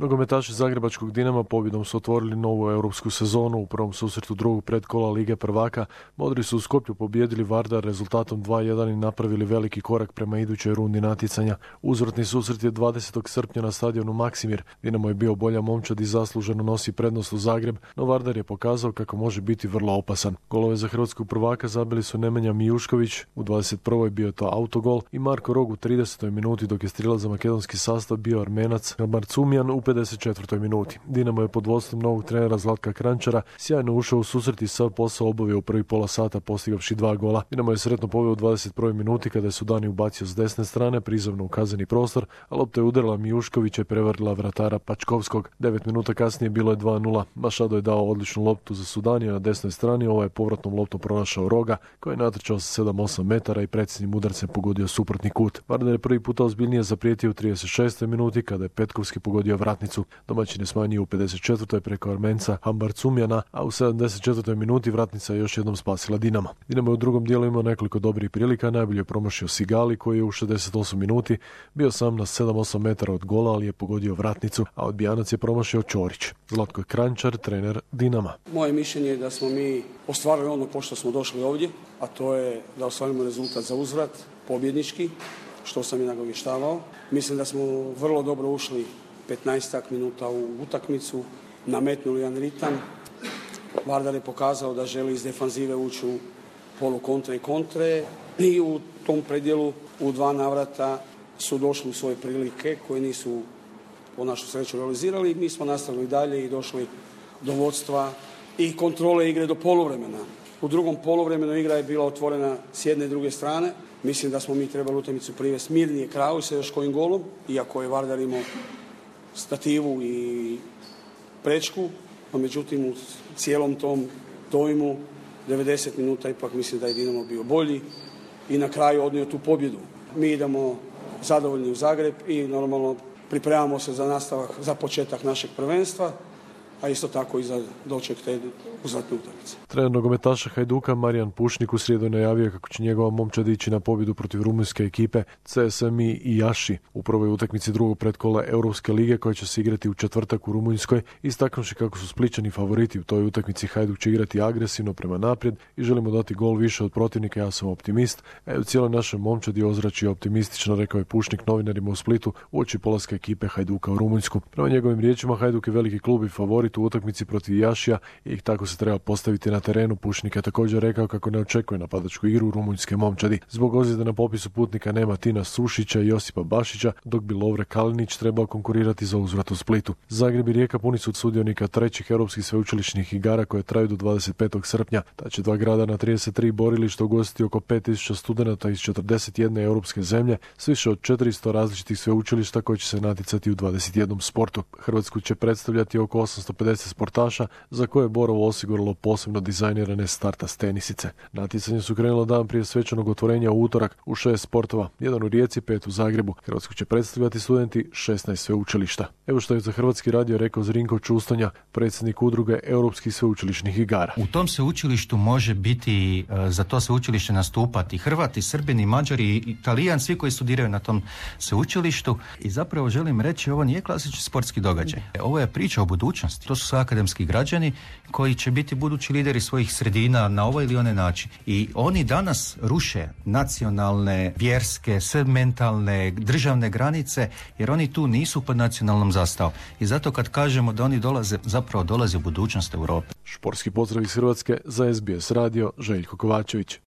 Nogometaši zagrebačkog Dinama pobjedom su otvorili novu europsku sezonu. U prvom susretu drugog predkola Lige prvaka Modri su u Skopju pobijedili Vardar rezultatom 2:1 i napravili veliki korak prema idućoj rundi natjecanja. Uzvratni susret je 20. srpnja na stadionu Maksimir. Dinamo je bio bolja momčad i zasluženo nosi prednost u Zagreb, no Vardar je pokazao kako može biti vrlo opasan. Golove za hrvatskog prvaka zabili su Nemanja Mijušković, u 21. bio to autogol, i Marko Rog u 30. minuti, dok je strijelac za makedonski sastav bio Armenac Marcumjan u 54. minuti. Dinamo je pod vodstvom novog trenera Zlatka Kranjčara sjajno ušao u susret i sav posao obavio u prvih pola sata postigavši 2 gola. Dinamo je sretno poveo u 21. minuti kada je Sudani ubacio s desne strane prizemno u kazneni prostor, a lopta je udarila Mijuškovića i prevarila vratara Pačkovskog. 9 minuta kasnije bilo je 2:0. Mašado je dao odličnu loptu za Sudanija na desnoj strani, ovaj je povratnom loptom pronašao Roga koji je natrčao sa 7-8 metara i predsjednim udarcem pogodio suprotni kut. Vardar je prvi puta ozbiljnije zaprijetio u 36. minuti kada je Petkovski pogodio vratnicu. Domaćin je smanjio u 54. preko Armenca Hambarcumjana, a u 74. minuti vratnica je još jednom spasila Dinamo. Dinamo je u drugom dijelu imao nekoliko dobrih prilika, najbolje je promašio Sigali koji je u 68 minuti bio sam na 7-8 metara od gola, ali je pogodio vratnicu, a odbijanac je promašio Ćorić. Zlatko Kranjčar, trener Dinama. Moje mišljenje je da smo mi ostvarili ono pošto smo došli ovdje, a to je da ostvarimo rezultat za uzvrat, pobjednički, što sam i nagovještavao. Mislim da smo vrlo dobro ušli 15 minuta u utakmicu, nametnuli jedan ritam. Vardar je pokazao da želi iz defanzive ući u polu kontre i kontre i u tom predjelu u 2 navrata su došli u svoje prilike koje nisu po našu sreću realizirali. Mi smo nastavili dalje i došli do vodstva i kontrole igre do poluvremena. U drugom poluvremenu igra je bila otvorena s jedne i druge strane. Mislim da smo mi trebali utakmicu privesti mirnije kraju sa još kojim golom, iako je Vardar imao stativu i prečku, no međutim u cijelom tom dojmu 90 minuta ipak mislim da je Dinamo bio bolji i na kraju odnio tu pobjedu. Mi idemo zadovoljni u Zagreb i normalno pripremamo se za nastavak, za početak našeg prvenstva, a isto tako i za doček te uzvratne utakmice. Trener nogometaša Hajduka Marijan Pušnik u srijedu je najavio kako će njegova momčad ići na pobjedu protiv rumunjske ekipe CSMI i Jaši u prvoj utakmici drugog pretkola Europske lige koja će se igrati u četvrtak u Rumunjskoj, istaknuvši kako su Splićani favoriti u toj utakmici. Hajduk će igrati agresivno prema naprijed i želimo dati gol više od protivnika, ja sam optimist, a u cijeloj našoj momčadi ozračje optimistično, rekao je Pušnik novinarima u Splitu uoči polaska ekipe Hajduka u Rumunjsku. Prema njegovim riječima Hajduk je veliki klub i favorit u utakmici protiv Jašija i tako se treba postaviti na terenu. Pušnik je također rekao kako ne očekuje napadačku igru u rumunjske momčadi. Zbog ozljede na popisu putnika nema Tina Sušića i Josipa Bašića, dok bi Lovre Kalinić trebao konkurirati za uzvrat u Splitu. Zagreb i Rijeka puni su od sudionika trećih europskih sveučilišnih igara koje traju do 25. srpnja. Ta će 2 grada na 33 borilišta ugostiti oko 5000 studenata iz 41 europske zemlje s više od 400 različitih sveučilišta koji će se natjecati u 21 sportu. Hrvatsku će predstavljati oko 850 sportaša za koje je Borovo osiguralo posebno dizajnirane startas tenisice. Natjecanje su krenula dan prije svečanog otvorenja u utorak u 6 sportova, 1 u Rijeci, 5 u Zagrebu. Hrvatsku će predstavljati studenti 16 sveučilišta. Evo što je za Hrvatski radio rekao Zrinko Čustonja, predsjednik udruge europskih sveučilišnih igara. U tom sveučilištu može biti za to sveučilište nastupati Hrvati, Srbini, Mađari, Italijan, svi koji studiraju na tom sveučilištu. I zapravo želim reći, ovo nije klasični sportski događaj. Ovo je priča o budućnosti. To su akademski građani koji će biti budući lideri svojih sredina na ovaj ili onaj način. I oni danas ruše nacionalne, vjerske, sve mentalne, državne granice, jer oni tu nisu pod nacionalnom zastavom. I zato kad kažemo da oni dolaze u budućnost Europe. Športski pozdrav iz Hrvatske za SBS radio, Željko Kovačević.